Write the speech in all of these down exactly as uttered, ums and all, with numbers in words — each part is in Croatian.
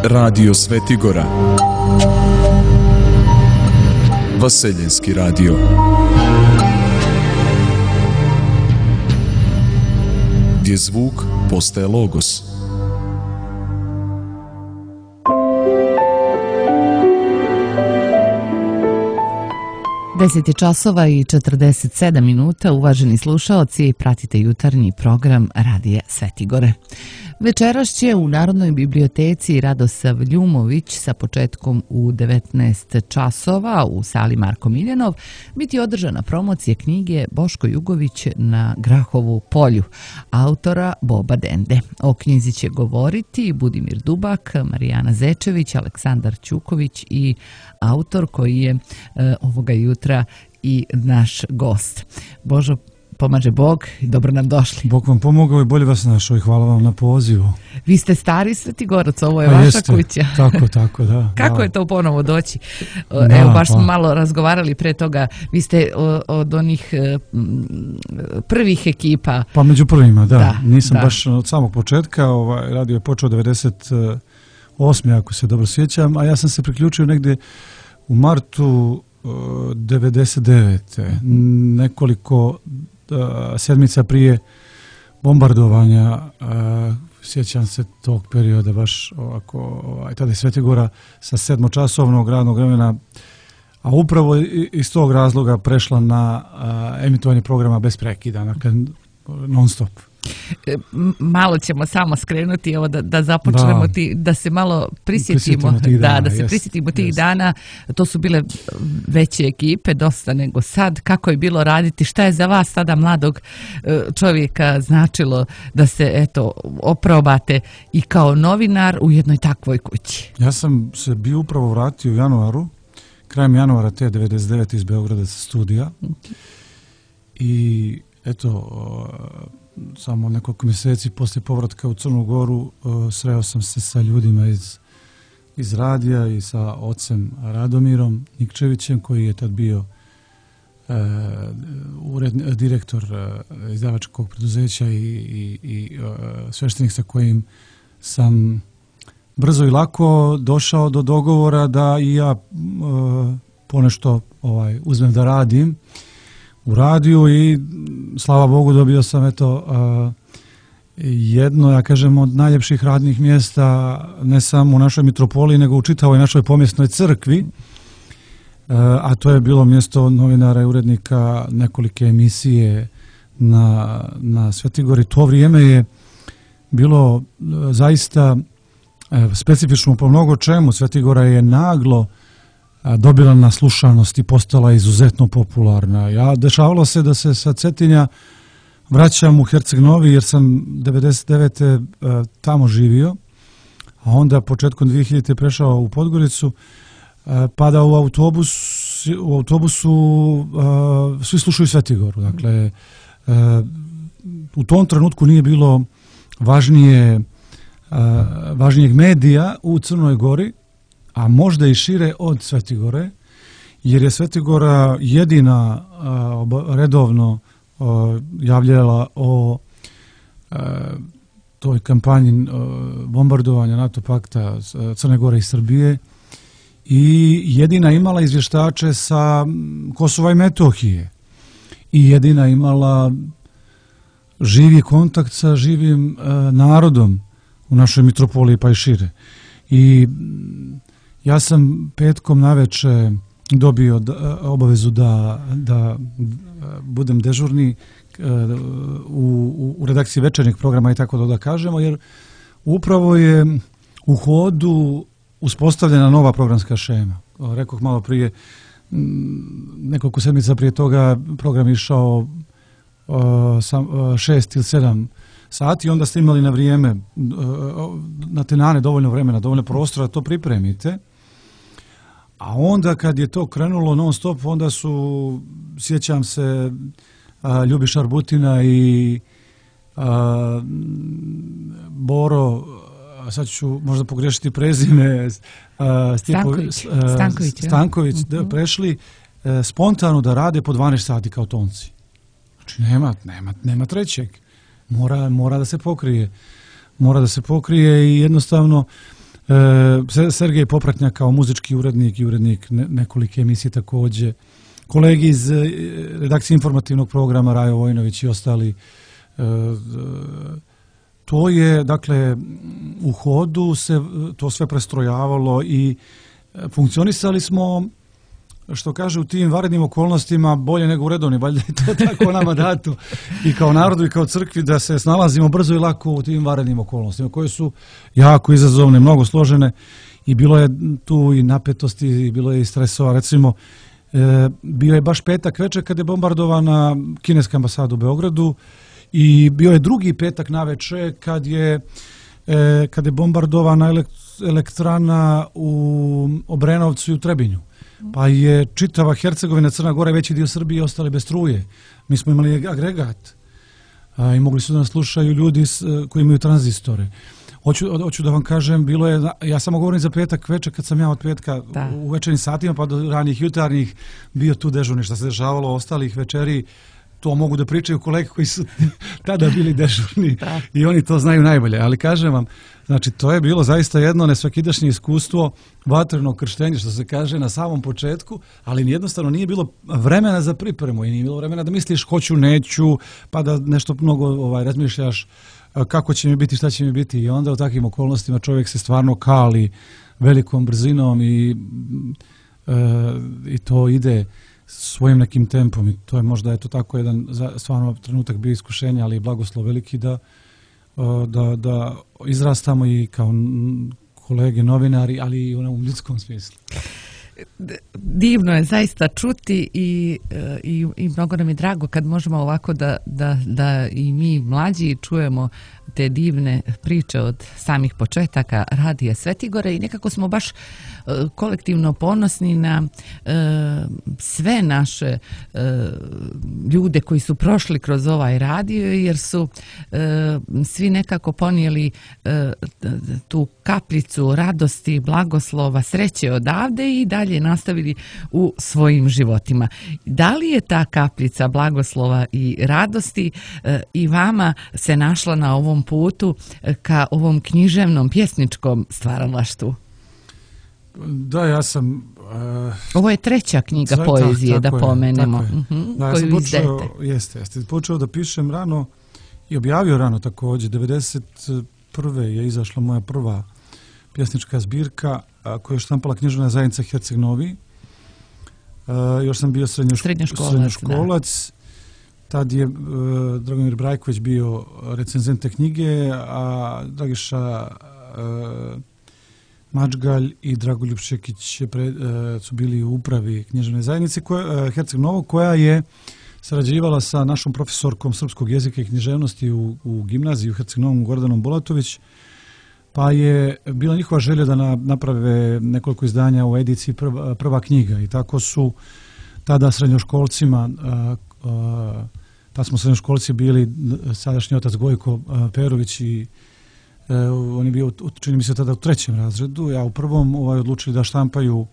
Radio Svetigora, Vaseljenski radio. Gdje zvuk postaje logos. deset je časova i četrdeset sedam minuta, uvaženi slušaoci, pratite jutarnji program Radija Svetigore. Večeras će u Narodnoj biblioteci Radosav Ljumović sa početkom u devetnaest časova u sali Marko Miljanov biti održana promocija knjige Boško Jugović na Grahovu polju, autora Boba Dende. O knjizi će govoriti Budimir Dubak, Marijana Zečević, Aleksandar Ćuković i autor koji je e, ovoga jutra i naš gost. Božo, pomaže Bog i dobro nam došli. Bog vam pomogao i bolje vas našao i hvala vam na pozivu. Vi ste stari Svetigorac, ovo je pa vaša jeste, kuća. Tako, tako, da. Kako da. je to ponovo doći? Da, Evo, baš pa. smo malo razgovarali pre toga. Vi ste od onih prvih ekipa. Pa među prvima, da. da Nisam da. baš od samog početka. Ovaj, radio je počeo devedeset osme ako se dobro sjećam, a ja sam se priključio negdje u martu devedeset devete Nekoliko sedmica prije bombardovanja, sjećam se tog perioda baš ovako, ovaj, tada je Svetigora sa sedmočasovnog radnog vremena, a upravo iz tog razloga prešla na emitovanje programa bez prekida, dakle non stop. Malo ćemo samo skrenuti evo da, da započnemo da. Ti, da se malo prisjetimo, prisjetimo tih dana, da, da se jest, prisjetimo tih jest. dana. To su bile veće ekipe, dosta nego sad. Kako je bilo raditi? Šta je za vas tada mladog čovjeka značilo da se eto oprobate i kao novinar u jednoj takvoj kući? Ja sam se bio upravo vratio u januaru, krajem januara te devedeset devete iz Beograda sa studija. Okay. I eto, samo nekoliko mjeseci poslije povratka u Crnu Goru sreo sam se sa ljudima iz, iz radija i sa ocem Radomirom Nikčevićem koji je tad bio e, ured, direktor e, izdavačkog preduzeća i, i, i e, sveštenik sa kojim sam brzo i lako došao do dogovora da i ja e, ponešto ovaj, uzmem da radim u radiju i slava Bogu dobio sam eto uh, jedno, ja kažem, od najljepših radnih mjesta ne samo u našoj mitropoliji nego u čitavoj našoj pomjesnoj crkvi, uh, a to je bilo mjesto novinara i urednika nekolike emisije na, na Svetigori. To vrijeme je bilo uh, zaista uh, specifično po mnogo čemu. Svetigora je naglo dobila na slušanost i postala izuzetno popularna. Ja, dešavalo se da se sa Cetinja vraćam u Herceg Novi jer sam devedeset devete tamo živio, a onda početkom dvije hiljadite prešao u Podgoricu, pa da u, autobus, u autobusu svi slušaju Svetigoru. Dakle, u tom trenutku nije bilo važnije, važnijeg medija u Crnoj Gori, a možda i šire od Svetigore, jer je Svetigora jedina uh, redovno uh, javljala o uh, toj kampanji uh, bombardovanja NATO pakta Crne Gore i Srbije i jedina imala izvještače sa Kosova i Metohije i jedina imala živi kontakt sa živim uh, narodom u našoj mitropoliji pa i šire. I ja sam petkom naveče dobio da, obavezu da, da budem dežurni u, u redakciji večernjeg programa i tako da, da kažemo, jer upravo je u hodu uspostavljena nova programska šema. Rekoh malo prije, nekoliko sedmica prije toga program išao sam, šest ili sedam sati, onda ste imali na vrijeme, na tenane dovoljno vremena, dovoljno prostora da to pripremite. A onda kad je to krenulo non stop, onda su, sjećam se, a, Ljubiša Arbutina i a, Boro, a sad ću možda pogrešiti prezime, a, Stipo, Stanković, a, Stanković, Stanković ja. da, prešli a, spontano da rade po dvanaest sati kao tonci. Znači nema, nema, nema trećeg. Mora, mora da se pokrije. Mora da se pokrije i jednostavno E, Sergej Popratnjak kao muzički urednik i urednik ne, nekolike emisije također. Kolegi iz e, redakcije informativnog programa Rajo Vojnović i ostali. E, to je, dakle, u hodu se to sve prestrojavalo i funkcionisali smo, što kaže, u tim vanrednim okolnostima bolje nego u redovnim, valjda je to tako nama dato i kao narodu i kao crkvi da se snalazimo brzo i lako u tim vanrednim okolnostima koje su jako izazovne, mnogo složene i bilo je tu i napetosti i bilo je i stresova. Recimo, e, bio je baš petak večer kad je bombardovana kineska ambasada u Beogradu i bio je drugi petak navečer kad je, e, kad je bombardovana elektrana u Obrenovcu i u Trebinju. Pa je čitava Hercegovina, Crna Gora i veći dio Srbije ostali bez struje. Mi smo imali agregat a, i mogli su da nas slušaju ljudi s, koji imaju tranzistore. Hoću, hoću da vam kažem, bilo je, ja samo govorim za petak večer kad sam ja od petka da. u večernim satima pa do ranih jutarnjih bio tu dežurni. Šta se dešavalo ostalih večeri, to mogu da pričaju kolege koji su tada bili dežurni da. I oni to znaju najbolje. Ali kažem vam, znači to je bilo zaista jedno nesvakidašnje iskustvo, vatreno krštenje, što se kaže, na samom početku, ali jednostavno nije bilo vremena za pripremu i nije bilo vremena da misliš hoću, neću, pa da nešto mnogo ovaj, razmišljaš kako će mi biti, šta će mi biti i onda u takvim okolnostima čovjek se stvarno kali velikom brzinom i, e, i to ide svojim nekim tempom i to je možda eto tako jedan stvarno trenutak bio iskušenja, ali i blagoslov veliki da, da, da izrastamo i kao kolege novinari, ali i u ljudskom smislu. Divno je zaista čuti i, i, i mnogo nam je drago kad možemo ovako da, da, da i mi mlađi čujemo te divne priče od samih početaka Radija Svetigore i nekako smo baš kolektivno ponosni na e, sve naše e, ljude koji su prošli kroz ovaj radio jer su e, svi nekako ponijeli e, tu kapljicu radosti, blagoslova, sreće odavde i dalje nastavili u svojim životima. Da li je ta kapljica blagoslova i radosti e, i vama se našla na ovom putu ka ovom književnom pjesničkom stvaralaštvu? Da, ja sam... Uh, Ovo je treća knjiga za, poezije, tak, da pomenemo, je, uh-huh, da, ja koju počeo, izdajete. Jeste, jeste. Počeo da pišem rano i objavio rano također. devedeset prve je izašla moja prva pjesnička zbirka a, koju je štampala književna zajednica Herceg Novi. A, još sam bio srednjoškolac. Srednjoškolac, srednjoškolac. Tad je uh, Dragomir Brajković bio recenzent te knjige, a Dragiša uh, Mačgalj i Dragoljub Šekić pre, uh, su bili u upravi književne zajednice koja, uh, Herceg Novog, koja je sarađivala sa našom profesorkom srpskog jezika i književnosti u, u gimnaziji u Herceg Novom, Gordanom Bulatović, pa je bila njihova želja da na, naprave nekoliko izdanja u ediciji prva, prva knjiga i tako su tada srednjoškolcima uh, uh, tad smo srednjoškolci bili sadašnji otac Gojko uh, Perović i uh, on je bio, čini mi se, tada u trećem razredu, ja u prvom ovaj, odlučili da štampaju, uh,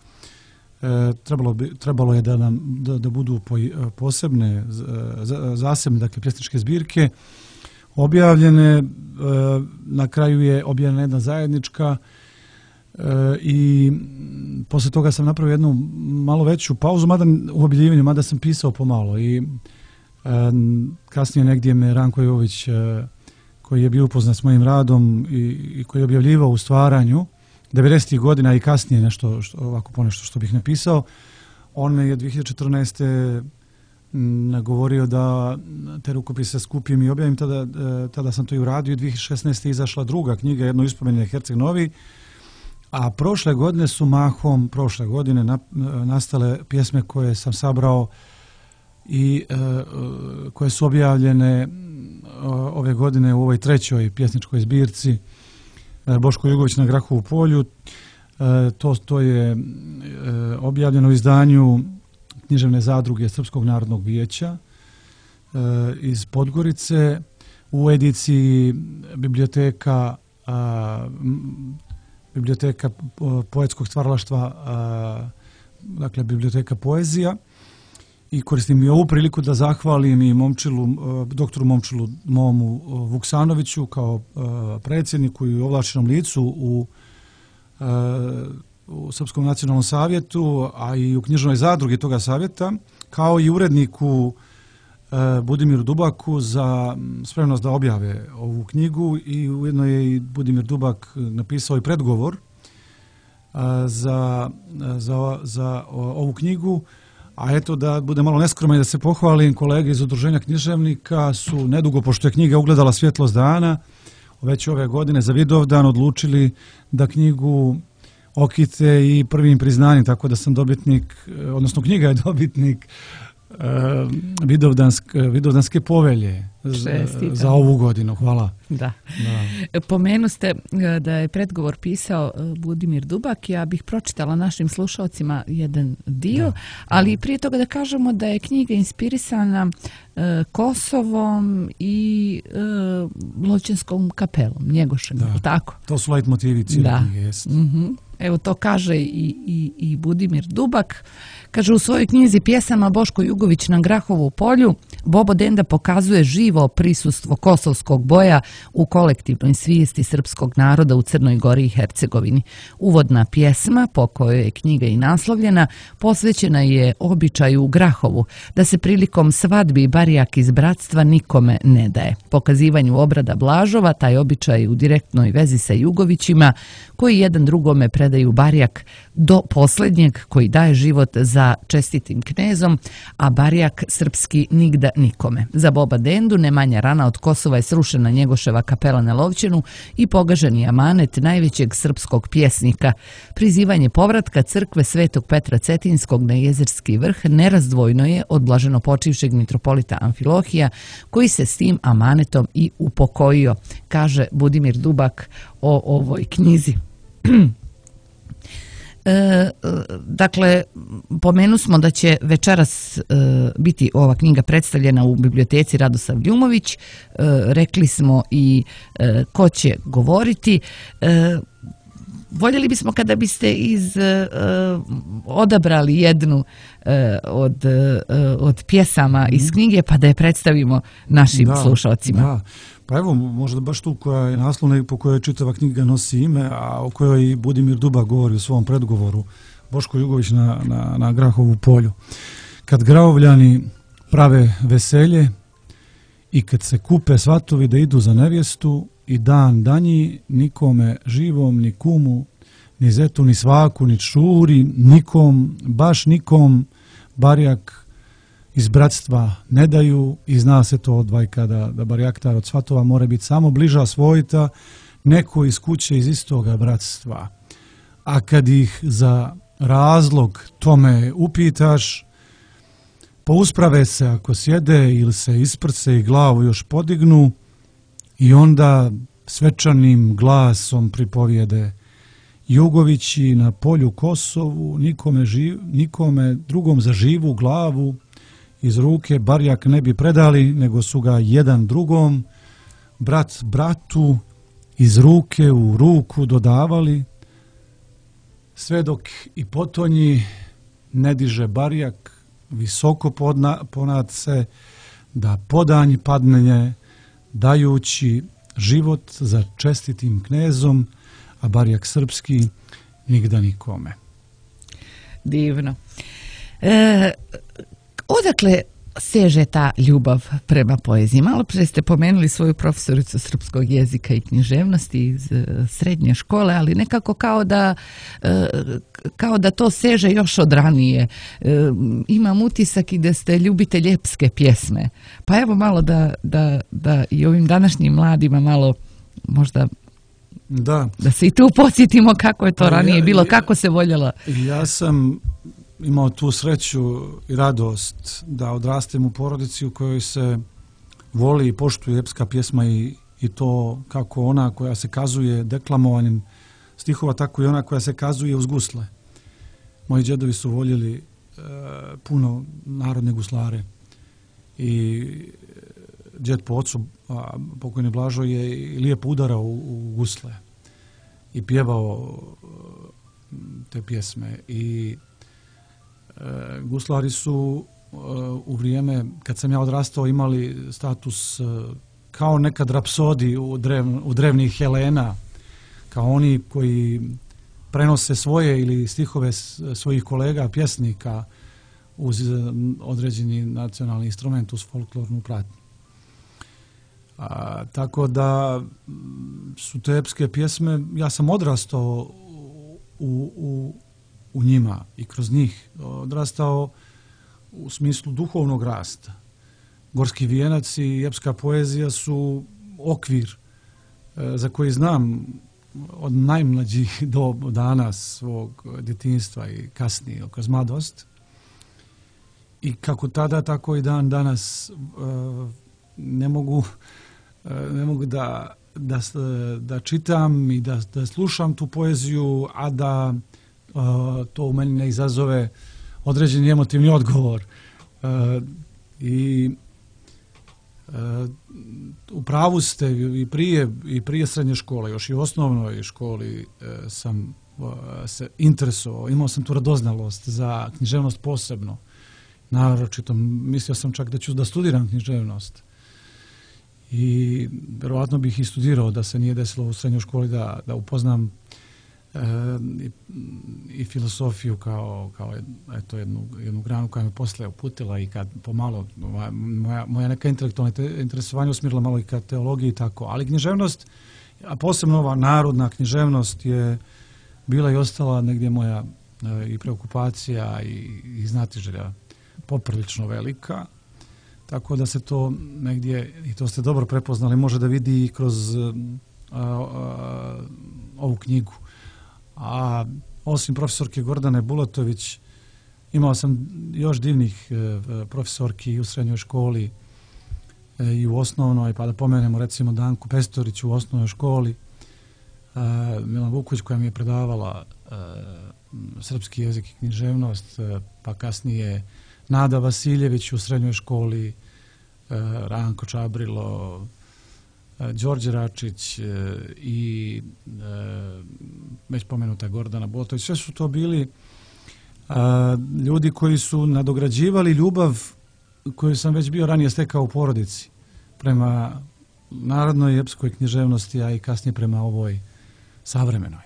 trebalo, bi, trebalo je da, nam, da, da budu po, uh, posebne, uh, zasebne, dakle, pjesničke zbirke, objavljene, uh, na kraju je objavljena jedna zajednička uh, i posle toga sam napravio jednu malo veću pauzu, mada u objavljivanju, mada sam pisao pomalo i kasnije negdje me Ranko Jović, koji je bio upoznat s mojim radom i, i koji je objavljivao u stvaranju devedesetih godina i kasnije nešto, što, ovako ponešto što bih napisao, on me je dvije hiljade četrnaeste. nagovorio da te rukopise skupim i objavim, tada, tada sam to i uradio i dvije hiljade šesnaeste. izašla druga knjiga, jedno ispomenje Herceg Novi, a prošle godine su mahom, prošle godine na, nastale pjesme koje sam sabrao i uh, koje su objavljene uh, ove godine u ovoj trećoj pjesničkoj zbirci uh, Boško Jugović na Grahovu polju. Uh, to, to je uh, objavljeno u izdanju književne zadruge Srpskog narodnog vijeća uh, iz Podgorice u ediciji biblioteka uh, biblioteka poetskog stvaralaštva, uh, dakle biblioteka poezija. I koristim i ovu priliku da zahvalim i Momčilu, doktoru Momčilu Momu Vuksanoviću kao predsjedniku i ovlašćenom licu u u Srpskom nacionalnom savjetu, a i u knjižnoj zadrugi toga savjeta, kao i uredniku Budimiru Dubaku za spremnost da objave ovu knjigu, i ujedno je i Budimir Dubak napisao i predgovor za, za, za ovu knjigu. A eto, da bude malo neskroman i da se pohvalim, kolege iz Udruženja književnika su nedugo, pošto je knjiga ugledala svjetlost dana, već ove godine za Vidovdan odlučili da knjigu okite i prvim priznanjem, tako da sam dobitnik, odnosno knjiga je dobitnik Vidovdanske, Vidovdanske povelje za, za ovu godinu. Hvala. Da. Da. Pomenu ste da je predgovor pisao Budimir Dubak. Ja bih pročitala našim slušalcima jedan dio, da. Ali prije toga da kažemo da je knjiga inspirisana e, Kosovom i e, Lovćenskom kapelom, Njegošem, da. Tako? To su leitmotivi cijele knjige. Mm-hmm. Evo to kaže i, i, i Budimir Dubak. Kaže u svojoj knjizi Pjesama Boško Jugović na Grahovu polju, Bobo Denda pokazuje živo prisustvo kosovskog boja u kolektivnoj svijesti srpskog naroda u Crnoj Gori i Hercegovini. Uvodna pjesma, po kojoj je knjiga i naslovljena, posvećena je običaju u Grahovu, da se prilikom svadbi barijak iz bratstva nikome ne daje. Pokazivanju obrada Blažova, taj običaj u direktnoj vezi sa Jugovićima, koji jedan drugome predaju barijak do posljednjeg koji daje život za čestitim knezom, a barijak srpski nigda nikome. Za Boba Dendu ne manja rana od Kosova je srušena Njegoševa kapela na Lovćenu i pogaženi amanet najvećeg srpskog pjesnika. Prizivanje povratka crkve Svetog Petra Cetinskog na Jezerski vrh nerazdvojno je od blaženo počivšeg mitropolita Amfilohija, koji se s tim amanetom i upokojio, kaže Budimir Dubak o ovoj knjizi. E, dakle, pomenu smo da će večeras e, biti ova knjiga predstavljena u biblioteci Radosav Ljumović. E, rekli smo i e, ko će govoriti. E, voljeli bismo kada biste iz e, odabrali jednu uh, od, uh, od pjesama iz knjige, pa da je predstavimo našim da, slušalcima. Da. Pa evo, možda baš tu koja je naslovna i po kojoj čitava knjiga nosi ime, a o kojoj i Budimir Dubak govori u svom predgovoru, Boško Jugović na, na, na Grahovu polju. Kad Grahovljani prave veselje i kad se kupe svatovi da idu za nevjestu, i dan danji nikome živom, ni kumu, ni zetu, ni svaku, ni čuri, nikom, baš nikom barijak iz bratstva ne daju, i zna se to od vajka da, da barijak od svatova mora biti samo bliža svojita, neko iz kuće iz istoga bratstva. A kad ih za razlog tome upitaš, pousprave se ako sjede ili se isprce i glavu još podignu, i onda svečanim glasom pripovijede: Jugovići na polju Kosovu, nikome, živ, nikome drugom za živu glavu iz ruke barijak ne bi predali, nego su ga jedan drugom, brat bratu, iz ruke u ruku dodavali, sve dok i potonji ne diže barijak visoko podna, ponad se, da podanj padne, dajući život za čestitim knezom, a barijak srpski nigda nikome. Divno. E, odakle seže ta ljubav prema poeziji? Malo prije ste pomenuli svoju profesoricu srpskog jezika i književnosti iz srednje škole, ali nekako kao da, kao da to seže još od ranije. Imam utisak i da ste ljubitelj epske pjesme. Pa evo malo da, da, da i ovim današnjim mladima malo možda da, da se i tu podsjetimo kako je to ranije bilo, kako se voljela. Ja sam imao tu sreću i radost da odrastem u porodici u kojoj se voli i poštuje epska pjesma, i, i to kako ona koja se kazuje deklamovanjem stihova, tako i ona koja se kazuje uz gusle. Moji džedovi su voljeli e, puno narodne guslare, i džed po ocu, a pokojni Blažo, je lijepo udarao u, u gusle i pjevao te pjesme. I e, guslari su e, u vrijeme kad sam ja odrastao imali status e, kao nekad rapsodi u, drev, u drevnih Helena, kao oni koji prenose svoje ili stihove svojih kolega, pjesnika uz određeni nacionalni instrument, uz folklornu pratnju. A, tako da su te epske pjesme, ja sam odrastao u, u, u njima i kroz njih odrastao u smislu duhovnog rasta. Gorski vijenac i epska poezija su okvir e, za koji znam od najmlađih do dana svog djetinjstva i kasnije kroz mladost. I kako tada, tako i dan danas e, ne mogu, e, ne mogu da, da, da čitam i da, da slušam tu poeziju, a da e, to u meni ne izazove određeni emotivni odgovor. E, I e, u pravu ste i prije, i prije srednje škole, još i u osnovnoj školi e, sam e, se interesovao, imao sam tu radoznalost za književnost posebno. Naročito, mislio sam čak da ću da studiram književnost. I vjerovatno bih i studirao da se nije desilo u srednjoj školi da, da upoznam e, i, i filosofiju kao, kao eto, jednu, jednu granu koja me poslije uputila i kad pomalo moja, moja neka intelektualna interesovanja usmjerila malo i ka teologiji i tako. Ali književnost, a posebno ova narodna književnost je bila i ostala negdje moja e, i preokupacija i, i znatiželja poprilično velika, tako da se to negdje, i to ste dobro prepoznali, može da vidi i kroz a, a, ovu knjigu. A osim profesorke Gordane Bulatović, imao sam još divnih e, profesorki u srednjoj školi e, i u osnovnoj, pa da pomenemo recimo Danku Pestorić u osnovnoj školi, e, Milan Vuković koja mi je predavala e, srpski jezik i književnost, e, pa kasnije Nada Vasiljević u srednjoj školi, Ranko Čabrilo, Đorđe Račić i već pomenuta Gordana Bulatović. Sve su to bili ljudi koji su nadograđivali ljubav koju sam već bio ranije stekao u porodici prema narodnoj i epskoj književnosti, a i kasnije prema ovoj savremenoj.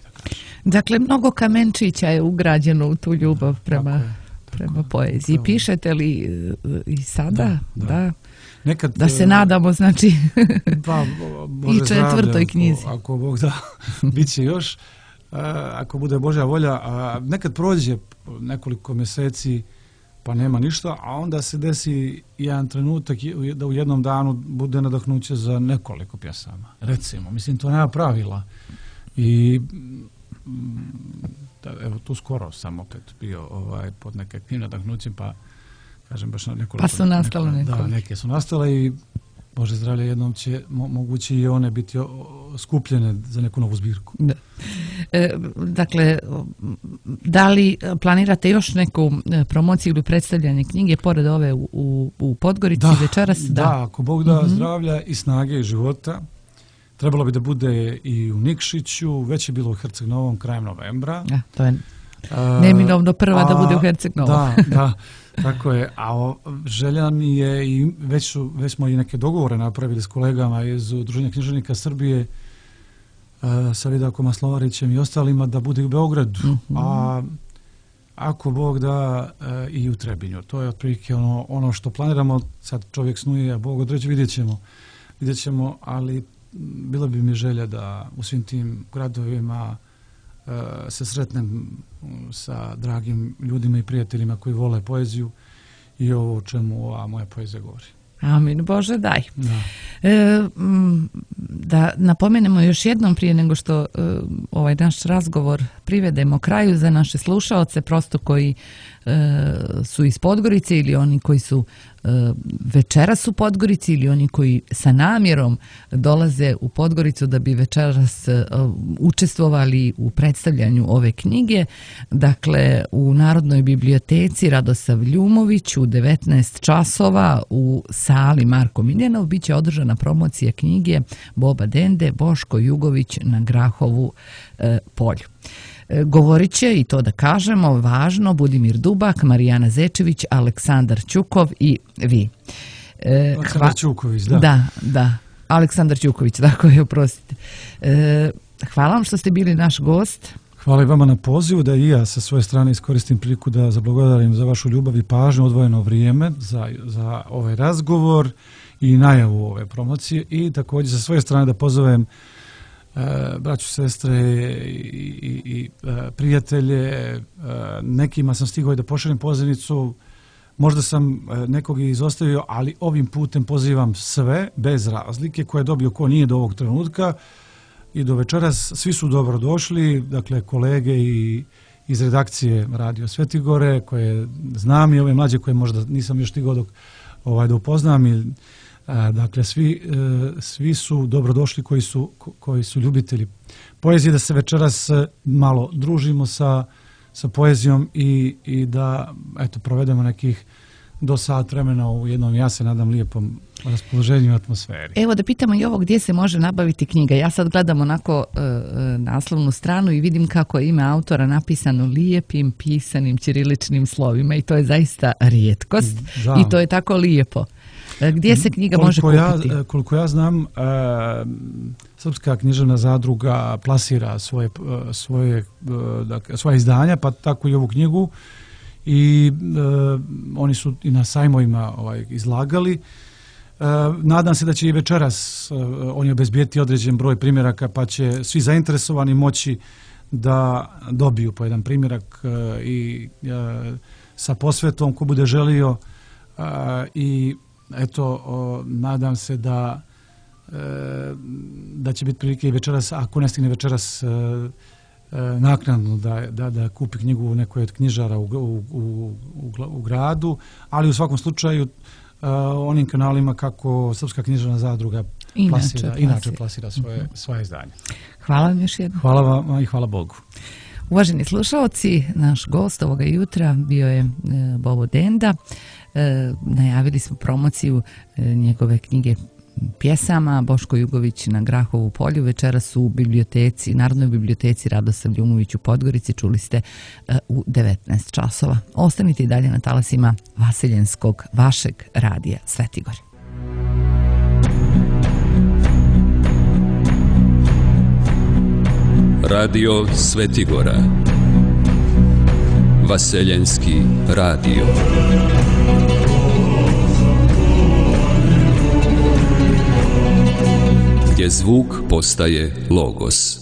Dakle, mnogo kamenčića je ugrađeno u tu ljubav prema... prema poeziji. Pravo. Pišete li i sada? Da. Da, da. Nekad, da se nadamo, znači, pa, i četvrtoj knjizi. Ako, ako Bog da, bit će još. Ako bude Božja volja. Nekad prođe nekoliko mjeseci pa nema ništa, a onda se desi jedan trenutak da u jednom danu bude nadahnuće za nekoliko pjesama. Recimo, mislim, to nema pravila. I da, evo tu skoro sam opet bio ovaj, pod nekakvim nadahnućem, pa kažem baš na nekoliko. Pa su nastale neko, Da, neke su nastale i Bože zdravlje, jednom će mo, moguće i one biti o, o, skupljene za neku novu zbirku. Da. E, dakle, da li planirate još neku promociju ili predstavljanje knjige pored ove u, u, u Podgorici da, večeras? Da, da, ako Bog da mm-hmm. zdravlja i snage i života. Trebalo bi da bude i u Nikšiću, već je bilo u Herceg Novom krajem novembra. Ja, to je neminovno prva a, da bude u Herceg Novom. Da, da, tako je. A o, želja mi je, i već, su, već smo i neke dogovore napravili s kolegama iz Udruženja književnika Srbije, a, sa Vidakom Maslovarićem i ostalima, da bude u Beogradu. Mm-hmm. A ako Bog da a, i u Trebinju. To je otprilike ono, ono što planiramo. Sad čovjek snuje, a Bog određe, vidjet ćemo. Vidjet ćemo, ali bila bi mi želja da u svim tim gradovima uh, se sretnem sa dragim ljudima i prijateljima koji vole poeziju i ovo o čemu ova moja poezija govori. Amin, Bože, daj. Da. E, da napomenemo još jednom prije nego što e, ovaj naš razgovor privedemo kraju za naše slušaoce, prosto koji e, su iz Podgorice ili oni koji su e, večeras u Podgorici ili oni koji sa namjerom dolaze u Podgoricu da bi večeras e, učestvovali u predstavljanju ove knjige. Dakle, u Narodnoj biblioteci Radosav Ljumović u devetnaest časova u sali Marko Miljanov bit će održana promocija knjige Boba Dende, Boško Jugović na Grahovu e, polju. E, govorit će, i to da kažemo, važno, Budimir Dubak, Marijana Zečević, Aleksandar Ćukov i vi. E, Aleksandar hva... Ćuković, da. Da, da. Aleksandar Ćuković, tako je, oprostite. E, hvala vam što ste bili naš gost. Hvala i vama na pozivu, da i ja sa svoje strane iskoristim priliku da zablagodarim za vašu ljubav i pažnju, odvojeno vrijeme za, za ovaj razgovor i najavu ove promocije, i također sa svoje strane da pozovem e, braću, sestre i, i, i e, prijatelje. E, nekima sam stigao i da pošaljem pozivnicu, možda sam e, nekog izostavio, ali ovim putem pozivam sve, bez razlike, ko je dobio, ko nije do ovog trenutka i do večeras. Svi su dobro došli, dakle kolege i iz redakcije Radio Svetigore koje znam i ove mlađe koje možda nisam još stigao dok ovaj, da upoznam. I, a, dakle, svi, e, svi su dobro došli koji su, koji su ljubitelji poezije, da se večeras malo družimo sa, sa poezijom i, i da eto, provedemo nekih do sat vremena u jednom, ja se nadam, lijepom raspoloženju i atmosferi. Evo da pitamo i ovo, gdje se može nabaviti knjiga. Ja sad gledam onako e, naslovnu stranu i vidim kako je ime autora napisano lijepim pisanim ćiriličnim slovima i to je zaista rijetkost. Da. I to je tako lijepo. E, gdje se knjiga koliko može kupiti? Ja, koliko ja znam, e, Srpska književna zadruga plasira svoje, svoje, e, dakle, svoje izdanja, pa tako i ovu knjigu. I e, oni su i na sajmovima ovaj, izlagali. E, nadam se da će i večeras e, oni obezbijeti određen broj primjeraka, pa će svi zainteresovani moći da dobiju po jedan primjerak e, i e, sa posvetom ko bude želio. E, I eto, o, nadam se da e, da će biti prilike i večeras, ako ne stigne večeras, e, naknadno da, da, da kupi knjigu u nekoj od knjižara u, u, u, u gradu, ali u svakom slučaju uh, onim kanalima kako Srpska književna zadruga inače plasira, plasira. inače plasira svoje, svoje izdanje. Hvala vam još jednom. Hvala vam i hvala Bogu. Uvaženi slušalci, naš gost ovoga jutra bio je e, Bobo Denda. E, najavili smo promociju e, njegove knjige pjesama Boško Jugović na Grahovu polju. Večeras u biblioteci, Narodnoj biblioteci Radosav Ljumović u Podgorici, čuli ste uh, u devetnaest časova. Ostanite i dalje na talasima Vaseljenskog, vašeg radija Svetigor. Radio Svetigora. Vaseljenski radio. Gdje zvuk postaje logos.